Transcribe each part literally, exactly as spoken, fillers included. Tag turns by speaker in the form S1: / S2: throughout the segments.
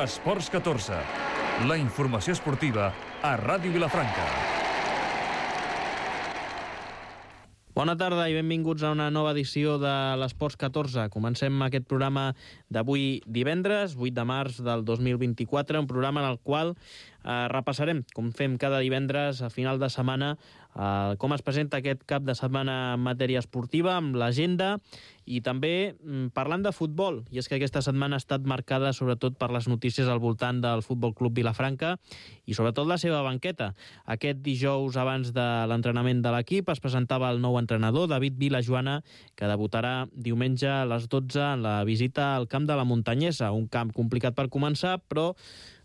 S1: Esports catorze, la informació esportiva a Ràdio Vilafranca.
S2: Bona tarda i benvinguts a una nova edició de l'Esports catorze. Comencem aquest programa d'avui divendres, vuit de març del dos mil vint-i-quatre, un programa en el qual eh, repassarem, com fem cada divendres a final de setmana, eh, com es presenta aquest cap de setmana en matèria esportiva, amb l'agenda i també mm, parlant de futbol. I és que aquesta setmana ha estat marcada sobretot per les notícies al voltant del Futbol Club Vilafranca i sobretot la seva banqueta. Aquest dijous, abans de l'entrenament de l'equip, es presentava el nou entrenador, David Vilajoana, que debutarà diumenge a les dotze en la visita al camp de la Muntanyesa, un camp complicat per començar, però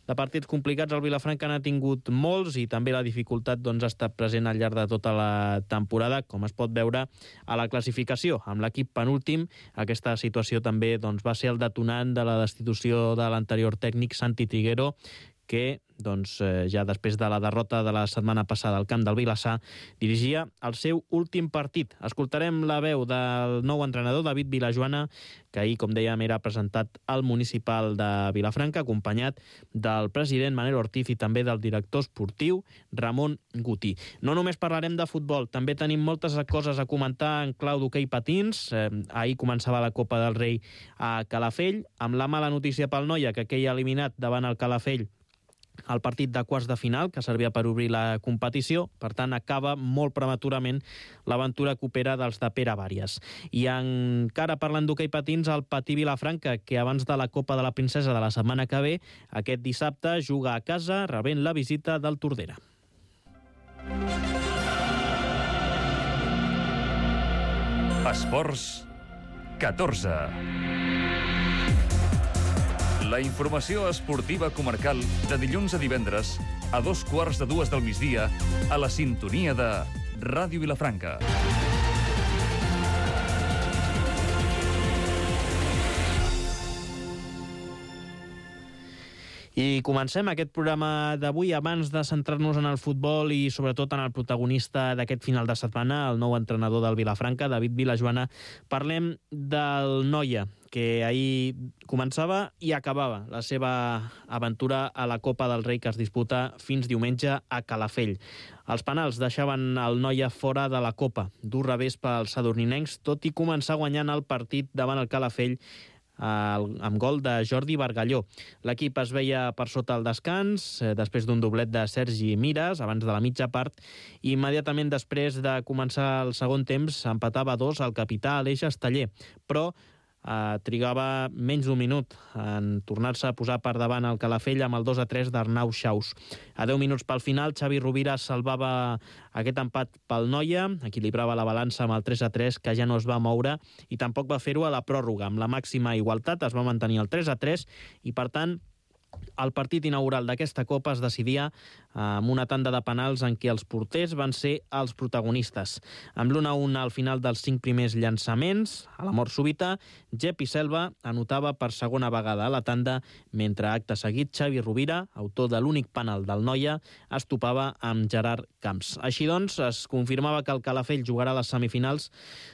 S2: de partits complicats el Vilafranca n'ha tingut molts i també la dificultat doncs, ha estat present al llarg de tota la temporada, com es pot veure a la classificació. Amb l'equip penúltim, aquesta situació també doncs, va ser el detonant de la destitució de l'anterior tècnic Santi Triguero, que doncs, eh, ja després de la derrota de la setmana passada al camp del Vilassar, dirigia el seu últim partit. Escoltarem la veu del nou entrenador, David Vilajoana, que ahir, com dèiem, era presentat al municipal de Vilafranca, acompanyat del president Manel Ortiz i també del director esportiu Ramon Guti. No només parlarem de futbol, també tenim moltes coses a comentar en clau d'hoquei patins. Eh, ahir començava la Copa del Rei a Calafell, amb la mala notícia pel Noia, que queia eliminat davant el Calafell el partit de quarts de final, que servia per obrir la competició. Per tant, acaba molt prematurament l'aventura copera dels de Pere Vàries. I encara parlant d'hoquei patins, el Patí Vilafranca, que abans de la Copa de la Princesa de la setmana que ve, aquest dissabte juga a casa, rebent la visita del Tordera.
S1: Esports catorze. La informació esportiva comarcal de dilluns a divendres a dos quarts de dues del migdia a la sintonia de Ràdio Vilafranca.
S2: I comencem aquest programa d'avui abans de centrar-nos en el futbol i sobretot en el protagonista d'aquest final de setmana, el nou entrenador del Vilafranca, David Vilajoana. Parlem del Noia, que ahir començava i acabava la seva aventura a la Copa del Rei, que es disputa fins diumenge a Calafell. Els penals deixaven el Noia fora de la Copa. Dur revés pels sadurninencs, tot i començar guanyant el partit davant el Calafell amb gol de Jordi Bargalló. L'equip es veia per sota el descans, després d'un doblet de Sergi Mires, abans de la mitja part, i immediatament després de començar el segon temps empatava dos el capità Aleix Esteller, però Uh, trigava menys d'un minut en tornar-se a posar per davant el Calafell amb el dos a tres d'Arnau Xaus. A deu minuts pel final, Xavi Rovira salvava aquest empat pel Noia, equilibrava la balança amb el tres a tres, que ja no es va moure, i tampoc va fer-ho a la pròrroga. Amb la màxima igualtat es va mantenir el tres a tres i, per tant, el partit inaugural d'aquesta Copa es decidia amb una tanda de penals en què els porters van ser els protagonistes. Amb l'u a u al final dels cinc primers llançaments, a la mort súbita, Jepi Selva anotava per segona vegada a la tanda, mentre acte seguit Xavi Rovira, autor de l'únic penal del Noia, es topava amb Gerard Camps. Així doncs, es confirmava que el Calafell jugarà a les semifinals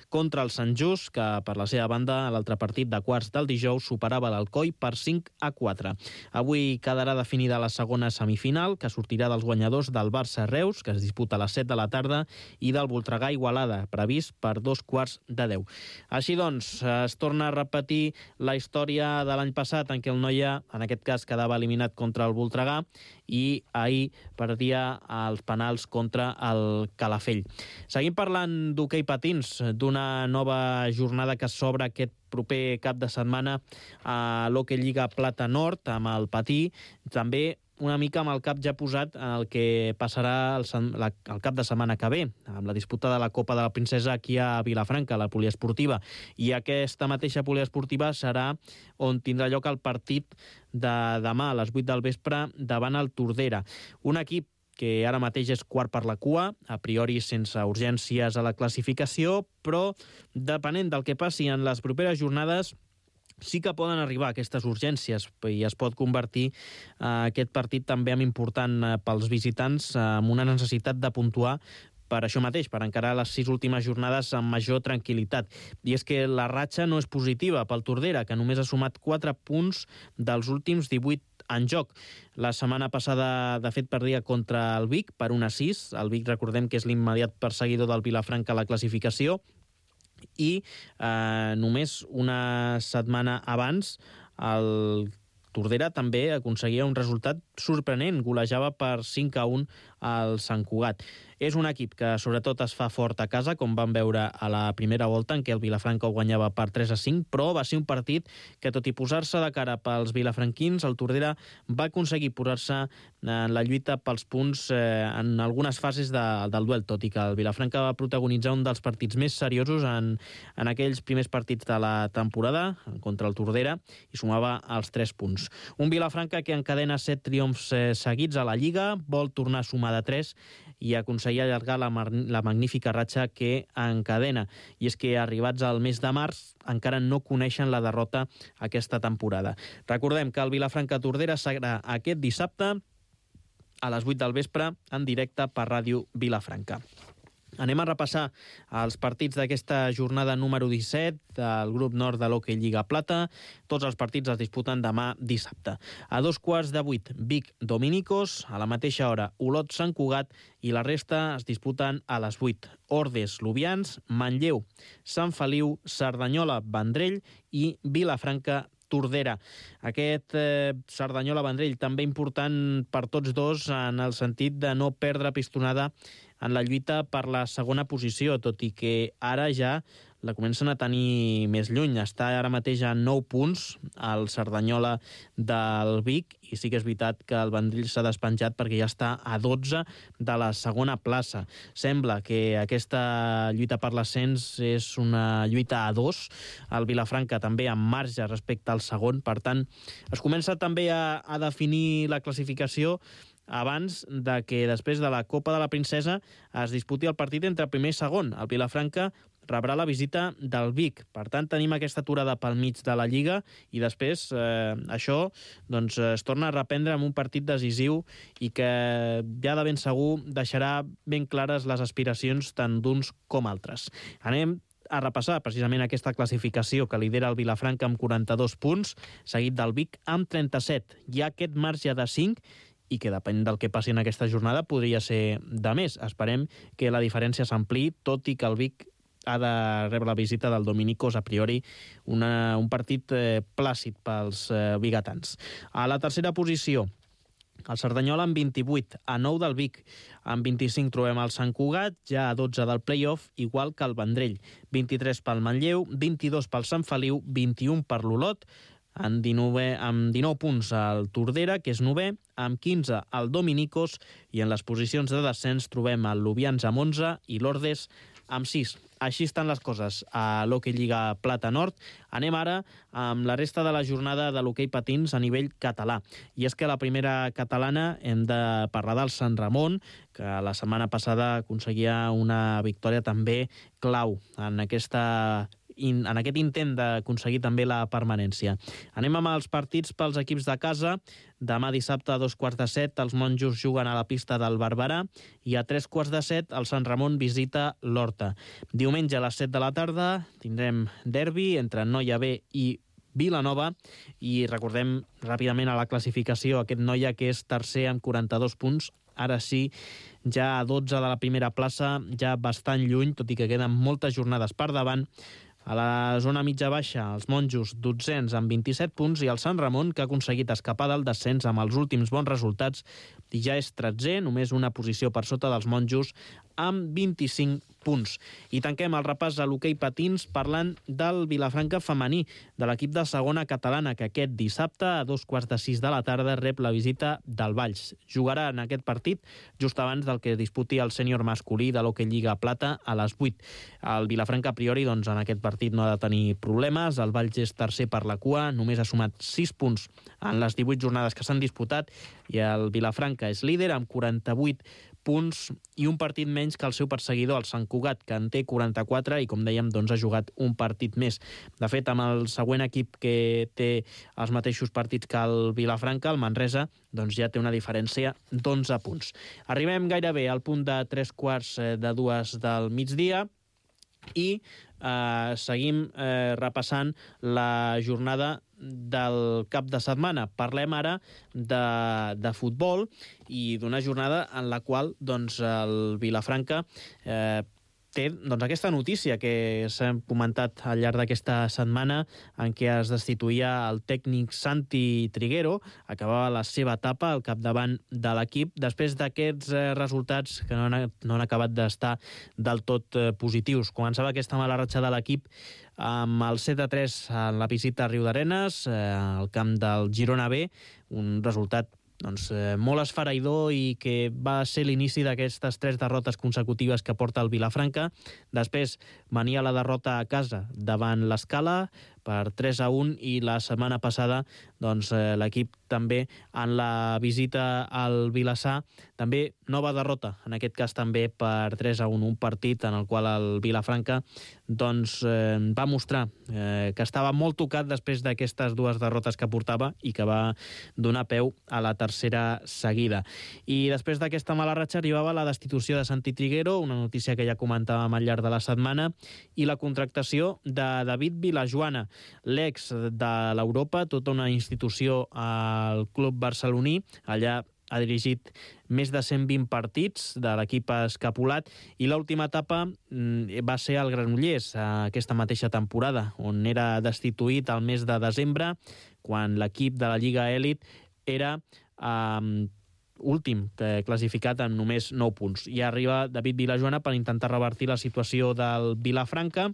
S2: contra el Sant Just, que per la seva banda, a l'altre partit de quarts del dijous, superava l'Alcoi per cinc a quatre. Avui quedarà definida la segona semifinal, que sortirà dels guanyadors del Barça-Reus, que es disputa a les set de la tarda, i del Voltregà-Igualada, previst per dos quarts de deu. Així doncs, es torna a repetir la història de l'any passat, en què el Noia, en aquest cas, quedava eliminat contra el Voltregà, i ahir perdia els penals contra el Calafell. Seguim parlant d'hoquei patins, d'una nova jornada que s'obre aquest proper cap de setmana a l'Hockey Lliga Plata Nord, amb el Patí, també una mica amb el cap ja posat en el que passarà el, la, el cap de setmana que ve, amb la disputa de la Copa de la Princesa aquí a Vilafranca, la poliesportiva. I aquesta mateixa poliesportiva serà on tindrà lloc el partit de demà a les vuit del vespre davant el Tordera. Un equip que ara mateix és quart per la cua, a priori sense urgències a la classificació, però depenent del que passi en les properes jornades, sí que poden arribar aquestes urgències i es pot convertir eh, aquest partit també en important eh, pels visitants, eh, amb una necessitat de puntuar per això mateix, per encarar les sis últimes jornades amb major tranquil·litat. I és que la ratxa no és positiva pel Tordera, que només ha sumat quatre punts dels últims divuit en joc. La setmana passada, de fet, perdia contra el Vic per un a sis. El Vic, recordem que és l'immediat perseguidor del Vilafranca a la classificació. I eh, només una setmana abans el Tordera també aconseguia un resultat sorprenent, golejava per cinc a un al Sant Cugat. És un equip que sobretot es fa fort a casa, com vam veure a la primera volta, en què el Vilafranca ho guanyava per tres a cinc, però va ser un partit que, tot i posar-se de cara pels vilafranquins, el Tordera va aconseguir posar-se en la lluita pels punts eh, en algunes fases de, del duel, tot i que el Vilafranca va protagonitzar un dels partits més seriosos en, en aquells primers partits de la temporada contra el Tordera i sumava els tres punts. Un Vilafranca que encadena set triomfs eh, seguits a la Lliga, vol tornar a sumar de tres i aconseguir allargar la, la magnífica ratxa que encadena. I és que, arribats al mes de març, encara no coneixen la derrota aquesta temporada. Recordem que el Vilafranca-Tordera serà aquest dissabte a les vuit del vespre en directe per Ràdio Vilafranca. Anem a repassar els partits d'aquesta jornada número disset del grup nord de l'Hockey Lliga Plata. Tots els partits es disputen demà dissabte. A dos quarts de vuit, Vic Dominicos, a la mateixa hora Olot Sant Cugat i la resta es disputen a les vuit. Ordes Lubians, Manlleu Sant Feliu, Cerdanyola Vendrell i Vilafranca Tordera. Aquest eh, Cerdanyola-Vendrell també important per tots dos en el sentit de no perdre pistonada en la lluita per la segona posició, tot i que ara ja la comencen a tenir més lluny. Està ara mateix a nou punts el Cerdanyola del Vic i sí que és veritat que el Vendrell s'ha despenjat perquè ja està a dotze de la segona plaça. Sembla que aquesta lluita per l'ascens és una lluita a dos. El Vilafranca també amb marge respecte al segon. Per tant, es comença també a, a definir la classificació abans de que després de la Copa de la Princesa es disputi el partit entre primer i segon. El Vilafranca rebrà la visita del Vic. Per tant, tenim aquesta aturada pel mig de la Lliga i després eh, això doncs, es torna a reprendre amb un partit decisiu i que ja de ben segur deixarà ben clares les aspiracions tant d'uns com altres. Anem a repassar precisament aquesta classificació que lidera el Vilafranca amb quaranta-dos punts, seguit del Vic amb trenta-set. Hi ha aquest marge de cinc i que depèn del que passi en aquesta jornada podria ser de més. Esperem que la diferència s'ampliï, tot i que el Vic ha de rebre la visita del Dominicos, a priori una, un partit eh, plàcid pels eh, bigatans. A la tercera posició, el Cerdanyola amb vint-i-vuit, a nou del Vic. Amb vint-i-cinc trobem el Sant Cugat, ja a dotze del play-off, igual que el Vendrell. vint-i-tres pel Manlleu, vint-i-dos pel Sant Feliu, vint-i-un per l'Olot, amb dinou, amb dinou punts el Tordera, que és novè, amb quinze el Dominicos, i en les posicions de descens trobem el Lubians amb onze i l'Ordes amb sis. Així estan les coses a l'Hockey Lliga Plata Nord. Anem ara amb la resta de la jornada de l'hoquei patins a nivell català. I és que la primera catalana hem de parlar del Sant Ramon, que la setmana passada aconseguia una victòria també clau en aquesta in, en aquest intent d'aconseguir també la permanència. Anem amb els partits pels equips de casa. Demà dissabte a dos quarts de set els monjos juguen a la pista del Barberà i a tres quarts de set el Sant Ramon visita l'Horta. Diumenge a les set de la tarda tindrem derbi entre Noia B i Vilanova i recordem ràpidament a la classificació aquest Noia que és tercer amb quaranta-dos punts. Ara sí, ja a dotze de la primera plaça, ja bastant lluny, tot i que queden moltes jornades per davant. A la zona mitja-baixa, els monjos dotzens amb vint-i-set punts i el Sant Ramon, que ha aconseguit escapar del descens amb els últims bons resultats, i ja és tretzè, només una posició per sota dels monjos, amb vint-i-cinc punts. I tanquem el repàs a l'hoquei patins parlant del Vilafranca femení, de l'equip de segona catalana, que aquest dissabte a dos quarts de sis de la tarda rep la visita del Valls. Jugarà en aquest partit just abans del que disputi el sènior masculí de l'Hockey Lliga Plata a les vuit. El Vilafranca, a priori, doncs, en aquest partit no ha de tenir problemes. El Valls és tercer per la cua, només ha sumat sis punts en les divuit jornades que s'han disputat, i el Vilafranca és líder amb quaranta-vuit punts i un partit menys que el seu perseguidor, el Sant Cugat, que en té quaranta-quatre i, com dèiem, doncs, ha jugat un partit més. De fet, amb el següent equip que té els mateixos partits que el Vilafranca, el Manresa, doncs ja té una diferència d'onze punts. Arribem gairebé al punt de tres quarts de dues del migdia. I eh, seguim eh, repassant la jornada del cap de setmana. Parlem ara de, de futbol i d'una jornada en la qual doncs, el Vilafranca eh, té doncs, aquesta notícia que s'ha comentat al llarg d'aquesta setmana en què es destituïa el tècnic Santi Triguero, acabava la seva etapa al capdavant de l'equip després d'aquests eh, resultats que no han, no han acabat d'estar del tot eh, positius. Començava aquesta mala ratxa de l'equip amb el set a tres en la visita a Riudarenes, eh, al camp del Girona B, un resultat doncs, eh, molt esfereïdor i que va ser l'inici d'aquestes tres derrotes consecutives que porta el Vilafranca. Després venia la derrota a casa davant l'Escala per tres a un i la setmana passada doncs, eh, l'equip també en la visita al Vilassar, també nova derrota, en aquest cas també per tres a un, un partit en el qual el Vilafranca doncs, eh, va mostrar eh, que estava molt tocat després d'aquestes dues derrotes que portava i que va donar peu a la tercera seguida. I després d'aquesta mala ratxa arribava la destitució de Santi Triguero, una notícia que ja comentàvem al llarg de la setmana, i la contractació de David Vilajoana, l'ex de l'Europa, tota una institució al club barceloní. Allà ha dirigit més de cent vint partits de l'equip escapulat i l'última etapa va ser al Granollers aquesta mateixa temporada, on era destituït al mes de desembre, quan l'equip de la Lliga Elit era eh, últim, classificat amb només nou punts. I arriba David Vilajoana per intentar revertir la situació del Vilafranca,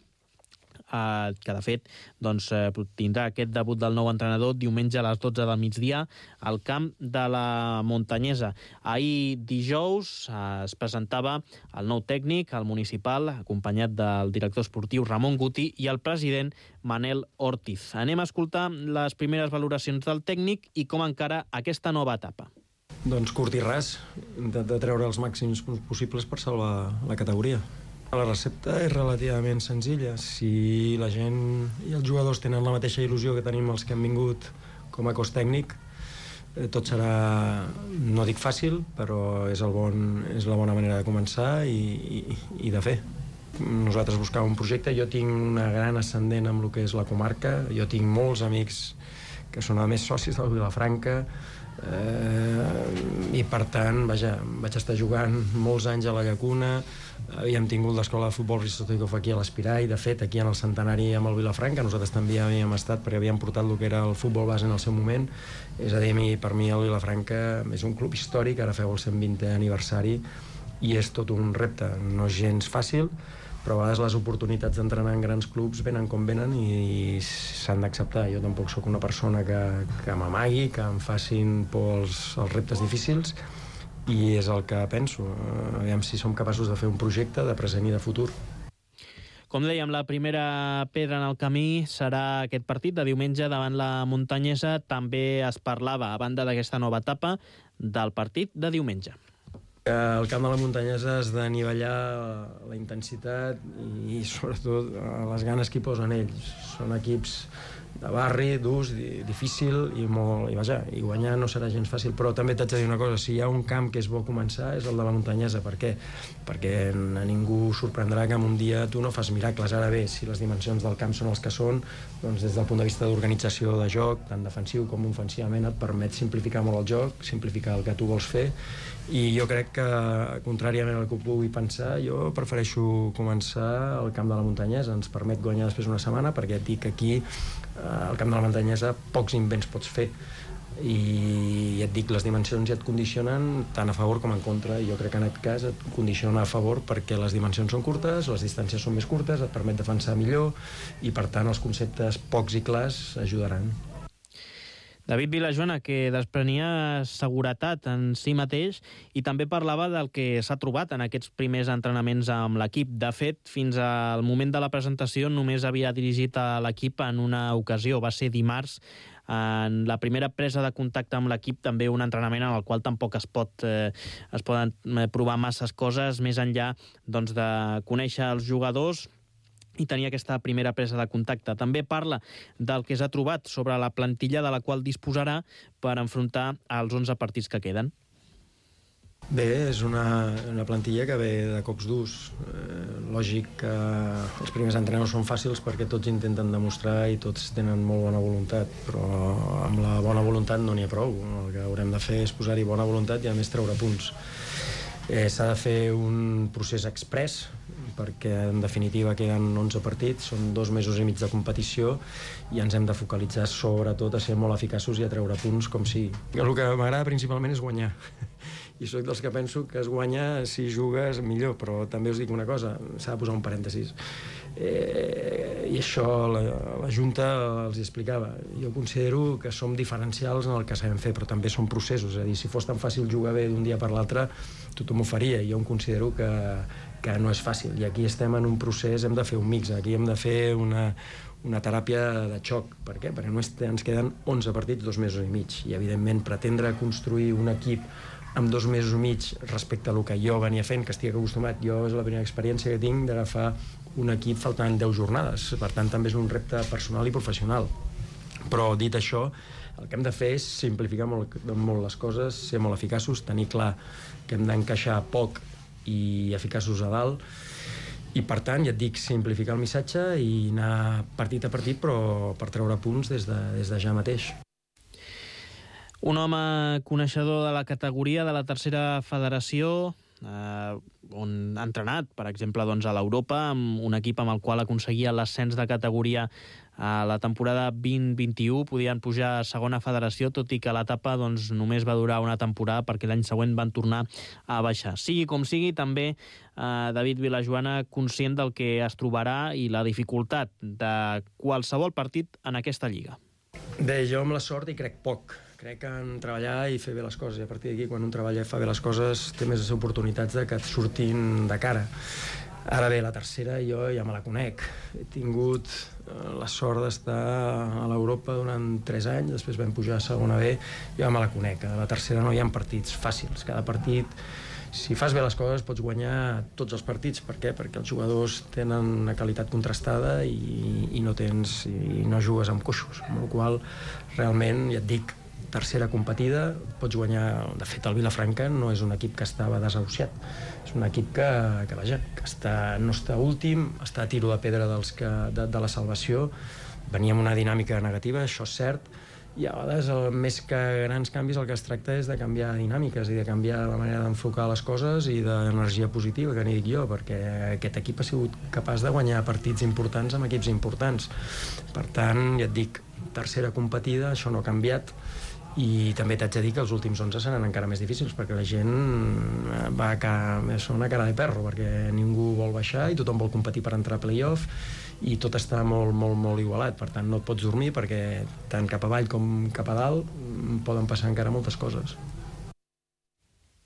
S2: Uh, que de fet doncs, uh, tindrà aquest debut del nou entrenador diumenge a les dotze del migdia al camp de la Montanyesa. Ahir dijous uh, es presentava el nou tècnic, el municipal, acompanyat del director esportiu Ramon Guti i el president Manel Ortiz. Anem a escoltar les primeres valoracions del tècnic i com encara aquesta nova etapa.
S3: Doncs curt i ras, intentar treure els màxims possibles per salvar la categoria. La recepta és relativament senzilla. Si la gent i els jugadors tenen la mateixa il·lusió que tenim els que han vingut com a cos tècnic, tot serà, no dic fàcil, però és, el bon, és la bona manera de començar i, i, i de fer. Nosaltres buscàvem un projecte. Jo tinc una gran ascendent amb el que és la comarca. Jo tinc molts amics que són a més socis del Vilafranca, eh, i per tant, vaja, vaig estar jugant molts anys a la Llacuna. Havíem tingut l'escola de futbol Ristotikov aquí a l'Espirai, de fet aquí en el centenari amb el Vilafranca nosaltres també havíem estat perquè havíem portat el que era el futbol base en el seu moment. És a dir, per mi el Vilafranca és un club històric, ara feu el cent vintè aniversari i és tot un repte, no és gens fàcil, però a vegades les oportunitats d'entrenar en grans clubs venen com venen i s'han d'acceptar. Jo tampoc sóc una persona que, que m'amagui, que em facin por els, els reptes difícils, i és el que penso. Aviam si som capaços de fer un projecte de present i de futur.
S2: Com dèiem, la primera pedra en el camí serà aquest partit de diumenge davant la Montanyesa. També es parlava, a banda d'aquesta nova etapa, del partit de diumenge.
S3: El camp de la Montanyesa has de nivellar la intensitat i sobretot les ganes que hi posen ells. Són equips de barri, durs, difícil i molt, i vaja, i guanyar no serà gens fàcil, però també t'haig de dir una cosa, si hi ha un camp que és bo començar és el de la Montanyesa. Per què? Perquè a ningú sorprendrà que en un dia tu no fas miracles. Ara bé, si les dimensions del camp són els que són, doncs des del punt de vista d'organització de joc, tant defensiu com ofensivament, et permet simplificar molt el joc, simplificar el que tu vols fer, i jo crec que, contràriament al que pugui pensar, jo prefereixo començar al camp de la Montanyesa. Ens permet guanyar després una setmana, perquè et dic que aquí al camp de la Montanyesa pocs invents pots fer i et dic, les dimensions ja et condicionen tant a favor com en contra, i jo crec que en aquest cas et condiciona a favor perquè les dimensions són curtes, les distàncies són més curtes, et permet defensar millor i per tant els conceptes pocs i clars ajudaran.
S2: David Vilajoana, que desprenia seguretat en si mateix i també parlava del que s'ha trobat en aquests primers entrenaments amb l'equip. De fet, fins al moment de la presentació només havia dirigit a l'equip en una ocasió, va ser dimarts, en la primera presa de contacte amb l'equip, també un entrenament en el qual tampoc es pot eh, es poden provar masses coses, més enllà doncs, de conèixer els jugadors i tenia aquesta primera presa de contacte. També parla del que s'ha trobat sobre la plantilla de la qual disposarà per enfrontar els onze partits que queden.
S3: Bé, és una, una plantilla que ve de cops durs. Eh, lògic que els primers entrenadors són fàcils perquè tots intenten demostrar i tots tenen molt bona voluntat, però amb la bona voluntat no n'hi ha prou. El que haurem de fer és posar-hi bona voluntat i a més treure punts. Eh, s'ha de fer un procés express perquè en definitiva queden onze partits, són dos mesos i mig de competició i ens hem de focalitzar sobretot a ser molt eficaços i a treure punts com sigui. El que m'agrada principalment és guanyar i soc dels que penso que es guanya si jugues millor, però també us dic una cosa, s'ha de posar un parèntesis. Eh, i això la, la Junta els explicava. Jo considero que som diferencials en el que sabem fer, però també són processos, és a dir, si fos tan fàcil jugar bé d'un dia per l'altre tothom ho faria, i jo em considero que, que no és fàcil, i aquí estem en un procés, hem de fer un mix, aquí hem de fer una, una teràpia de xoc. Per què? Perquè només ens queden onze partits, dos mesos i mig, i evidentment pretendre construir un equip amb dos mesos i mig respecte a el que jo venia fent, que estic acostumat, jo és la primera experiència que tinc d'agafar un equip faltant deu jornades, per tant també és un repte personal i professional. Però dit això, el que hem de fer és simplificar molt, molt les coses, ser molt eficaços, tenir clar que hem d'encaixar poc i eficaços a dalt, i per tant, ja et dic, simplificar el missatge i anar partit a partit, però per treure punts des de, des de ja mateix.
S2: Un home coneixedor de la categoria de la tercera federació, eh, on ha entrenat, per exemple, doncs, a l'Europa, amb un equip amb el qual aconseguia l'ascens de categoria a la temporada vint vint-i-u, podien pujar a segona federació, tot i que l'etapa doncs, només va durar una temporada perquè l'any següent van tornar a baixar. Sigui com sigui, també eh, David Vilajoana conscient del que es trobarà i la dificultat de qualsevol partit en aquesta lliga.
S3: Bé, jo amb la sort hi crec poc. Crec en treballar i fer bé les coses, i a partir d'aquí, quan un treballa i fa bé les coses, té més oportunitats de que et surtin de cara. Ara bé, la tercera jo ja me la conec. He tingut la sort d'estar a l'Europa durant tres anys, després vam pujar a segona B, jo ja me la conec. A la tercera no hi ha partits fàcils. Cada partit, si fas bé les coses, pots guanyar tots els partits. Per què? Perquè els jugadors tenen una qualitat contrastada i, i no tens i no jugues amb coixos, amb la qual realment, ja et dic, tercera competida, pots guanyar. De fet, el Vilafranca no és un equip que estava desahuciat, és un equip que, que vaja, que està, no està últim, està a tiro de pedra dels que, de, de la salvació. Venia amb una dinàmica negativa, això és cert, i a vegades, el, més que grans canvis, el que es tracta és de canviar dinàmiques i de canviar la manera d'enfocar les coses i d'energia positiva, que n'hi dic jo, perquè aquest equip ha sigut capaç de guanyar partits importants amb equips importants. Per tant, ja et dic, tercera competida, això no ha canviat, i també t'haig de dir que els últims onze seran encara més difícils perquè la gent va a cara, són una cara de perro, perquè ningú vol baixar i tothom vol competir per entrar a play-off i tot està molt, molt, molt igualat. Per tant, no et pots dormir perquè tant cap avall com cap a dalt poden passar encara moltes coses.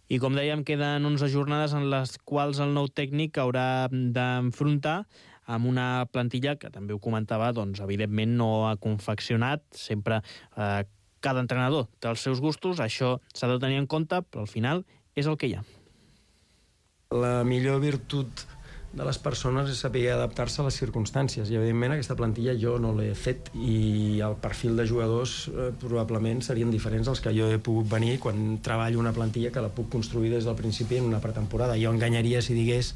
S2: I com dèiem, queden onze jornades en les quals el nou tècnic haurà d'enfrontar amb una plantilla que, també ho comentava, doncs, evidentment no ha confeccionat, sempre eh, cada entrenador té els seus gustos, això s'ha de tenir en compte, però al final és el que hi ha.
S3: La millor virtut de les persones és saber adaptar-se a les circumstàncies, i evidentment aquesta plantilla jo no l'he fet i el perfil de jugadors eh, probablement serien diferents als que jo he pogut venir quan treballo una plantilla que la puc construir des del principi en una pretemporada. Jo enganyaria si digués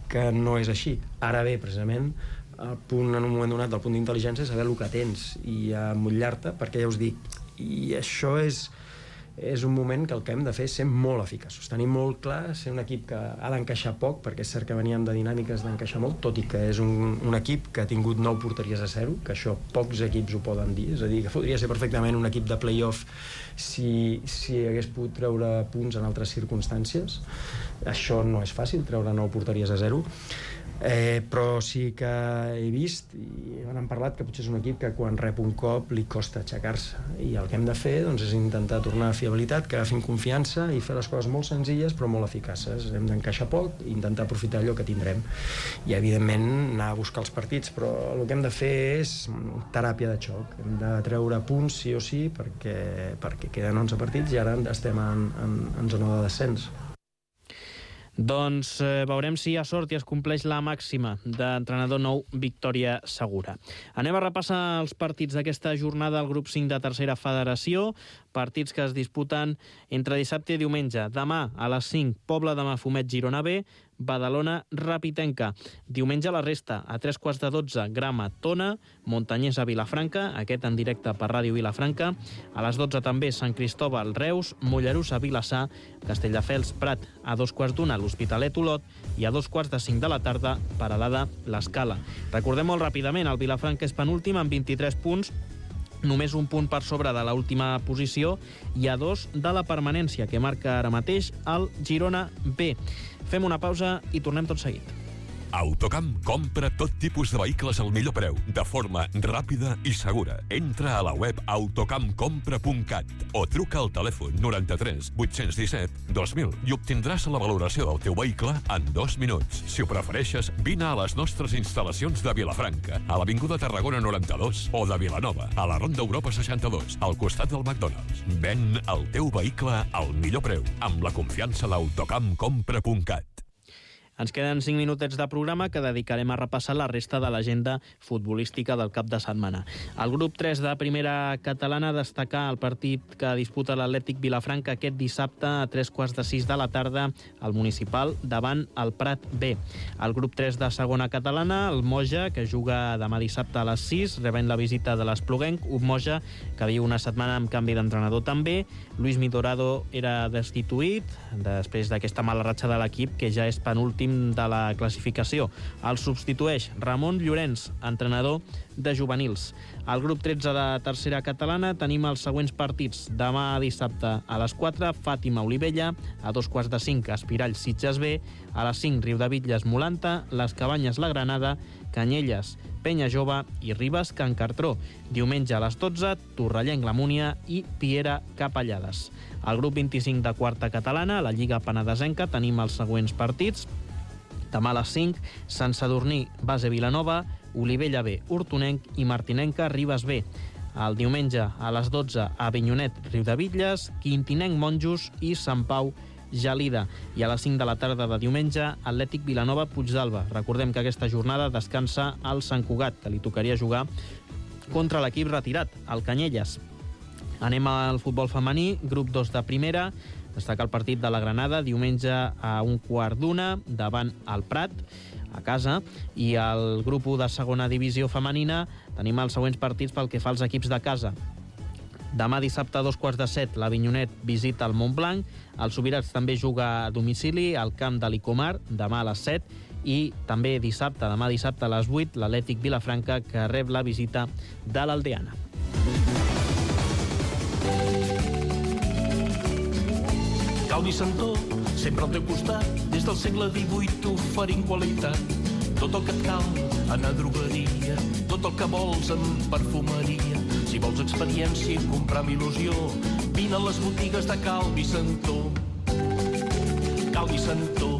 S3: que no és així. Ara bé, precisament, el punt, en un moment donat, del punt d'intel·ligència és saber el que tens i emmotllar-te, perquè ja us dic, i això és, és un moment que el que hem de fer és ser molt eficaços, tenir molt clar, ser un equip que ha d'encaixar poc, perquè és cert que veníem de dinàmiques d'encaixar molt, tot i que és un, un equip que ha tingut nou porteries a zero, que això pocs equips ho poden dir, és a dir, que podria ser perfectament un equip de play-off si, si hagués pogut treure punts en altres circumstàncies. Això no és fàcil, treure nou porteries a zero. Eh, però sí que he vist i han parlat que potser és un equip que quan rep un cop li costa aixecar-se, i el que hem de fer doncs, és intentar tornar a fiabilitat, que agafin confiança i fer les coses molt senzilles però molt eficaces. Hem d'encaixar poc i intentar aprofitar allò que tindrem i evidentment anar a buscar els partits, però el que hem de fer és teràpia de xoc, hem de treure punts sí o sí perquè, perquè queden onze partits i ara estem en, en, en zona de descens.
S2: Doncs eh, veurem si hi ha sort i es compleix la màxima d'entrenador nou Victòria Segura. Anem a repassar els partits d'aquesta jornada al grup cinc de tercera federació. partits que es disputen entre dissabte i diumenge. Demà a les cinc, Pobla de Mafumet, Girona B, Badalona, Rapitenca. Diumenge la resta, a tres quarts de dotze, Grama, Tona, Montanyès a Vilafranca, aquest en directe per Ràdio Vilafranca. A les dotze també Sant Cristòbal, Reus, Mollerussa a Vilassar, Castelldefels, Prat, a dos quarts d'una, l'Hospitalet, Olot, i a dos quarts de cinc de la tarda, Peralada, l'Escala. Recordem molt ràpidament, el Vilafranca és penúltim amb vint-i-tres punts, només un punt per sobre de l'última posició i a dos de la permanència, que marca ara mateix el Girona B. Fem una pausa i tornem tot seguit.
S4: Autocamp compra tot tipus de vehicles al millor preu, de forma ràpida i segura. Entra a la web autocamp compra punt cat o truca al telèfon noranta-tres vuit-cents disset dos mil i obtindràs la valoració del teu vehicle en dos minuts. Si ho prefereixes, vine a les nostres instal·lacions de Vilafranca, a l'Avinguda Tarragona noranta-dos o de Vilanova, a la Ronda Europa seixanta-dos, al costat del McDonald's. Ven el teu vehicle al millor preu, amb la confiança d'Autocamp compra punt cat.
S2: Ens queden cinc minutets de programa que dedicarem a repassar la resta de l'agenda futbolística del cap de setmana. El grup tres de primera catalana destacar el partit que disputa l'Atlètic Vilafranca aquest dissabte a tres quarts de sis de la tarda al Municipal davant el Prat B. El grup tres de segona catalana, el Moja, que juga demà dissabte a les sis, rebent la visita de l'Espluguenc, un Moja que viu una setmana amb canvi d'entrenador també. Luis Midorado era destituït després d'aquesta mala ratxa de l'equip, que ja és penúltim de la classificació. El substitueix Ramon Llorenç, entrenador de juvenils. Al grup tretze de tercera catalana tenim els següents partits. Demà dissabte a les quatre, Fàtima Olivella, a dos quarts de cinc, Espirall Sitges B, a les cinc, Riudebitlles Molanta, Les Cabanyes La Granada, Canyelles Penya Jove i Ribes Can Cartró. Diumenge a les dotze, Torrellenc La Múnia i Piera Capellades. Al grup vint-i-cinc de quarta catalana, a la Lliga Penedesenca, tenim els següents partits. Demà a les cinc, Sant Sadurní Base Vilanova, Olivella B, Hortonenc i Martinenca Ribes B. El diumenge a les dotze, Avinyonet Riudebitlles, Quintinenc Monjos i Sant Pau Gelida. I a les cinc de la tarda de diumenge, Atlètic Vilanova Puigdàlber. Recordem que aquesta jornada descansa al Sant Cugat, que li tocaria jugar contra l'equip retirat, el Canyelles. Anem al futbol femení, grup dos de primera. Destaca el partit de la Granada, diumenge a un quart d'una, davant el Prat, a casa. I al grup u de segona divisió femenina tenim els següents partits pel que fa als equips de casa. Demà dissabte a dos quarts de set, l'Avinyonet visita el Montblanc. El Subirats també juga a domicili al camp de l'Icomar, demà a les set. I també dissabte, demà dissabte a les vuit, l'Atlètic Vilafranca, que rep la visita de l'Aldeana.
S5: Calvi Santó, sempre al teu costat, des del segle divuit oferint qualitat. Tot el que et cal, anar a drogueria, tot el que vols en perfumeria. Si vols experiència i comprar amb il·lusió, vine a les botigues de Calvi Santó. Calvi Santó.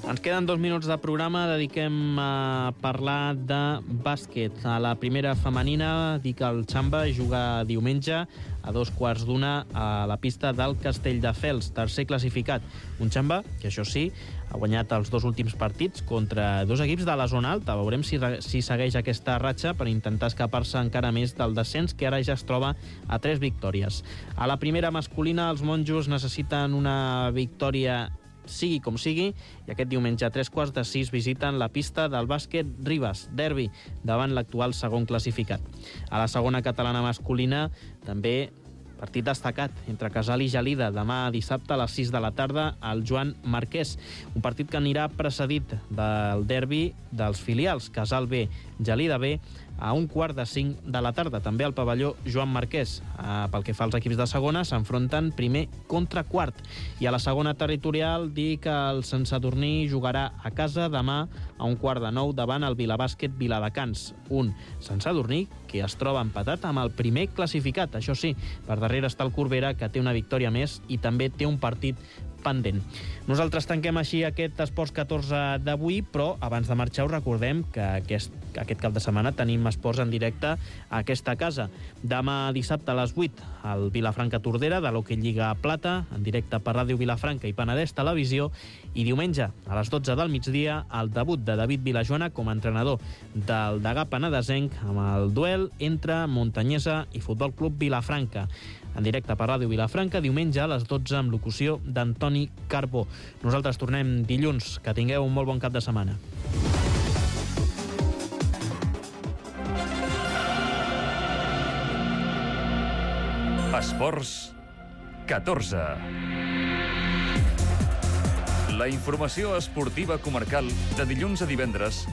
S2: Ens queden dos minuts de programa, dediquem a parlar de bàsquet. A la primera femenina, dic el Xamba juga diumenge a dos quarts d'una a la pista del Castelldefels, tercer classificat. Un Xamba que, això sí, ha guanyat els dos últims partits contra dos equips de la zona alta. Veurem si, si segueix aquesta ratxa per intentar escapar-se encara més del descens, que ara ja es troba a tres victòries. A la primera masculina, els monjos necessiten una victòria sigui com sigui, i aquest diumenge a tres quarts de sis visiten la pista del bàsquet Ribes, derbi, davant l'actual segon classificat. A la segona catalana masculina, també partit destacat entre Casal i Gelida, demà dissabte a les sis de la tarda al Joan Marquès. Un partit que anirà precedit del derbi dels filials, Casal B, Gelida B, a un quart de cinc de la tarda, també al pavelló Joan Marquès. Eh, pel que fa als equips de segona, s'enfronten primer contra quart. I a la segona territorial, dir que el Sant Sadurní jugarà a casa demà a un quart de nou davant el Vilabàsquet Viladecans. Un Sant Sadurní que es troba empatat amb el primer classificat. Això sí, per darrere està el Corbera, que té una victòria més i també té un partit pendent. Nosaltres tanquem així aquest Esports catorze d'avui, però abans de marxar us recordem que aquest aquest cap de setmana tenim esports en directe a aquesta casa. Demà dissabte a les vuit, el Vilafranca-Tordera, de l'Hockey Lliga Plata, en directe per Ràdio Vilafranca i Penedès Televisió, i diumenge, a les dotze del migdia, el debut de David Vilajoana com a entrenador del Degà penedesenc amb el duel entre Montanyesa i Futbol Club Vilafranca. En directe per Ràdio Vilafranca, diumenge a les dotze, amb locució d'Antoni Carbó. Nosaltres tornem dilluns. Que tingueu un molt bon cap de setmana.
S1: Esports catorze. La informació esportiva comarcal de dilluns a divendres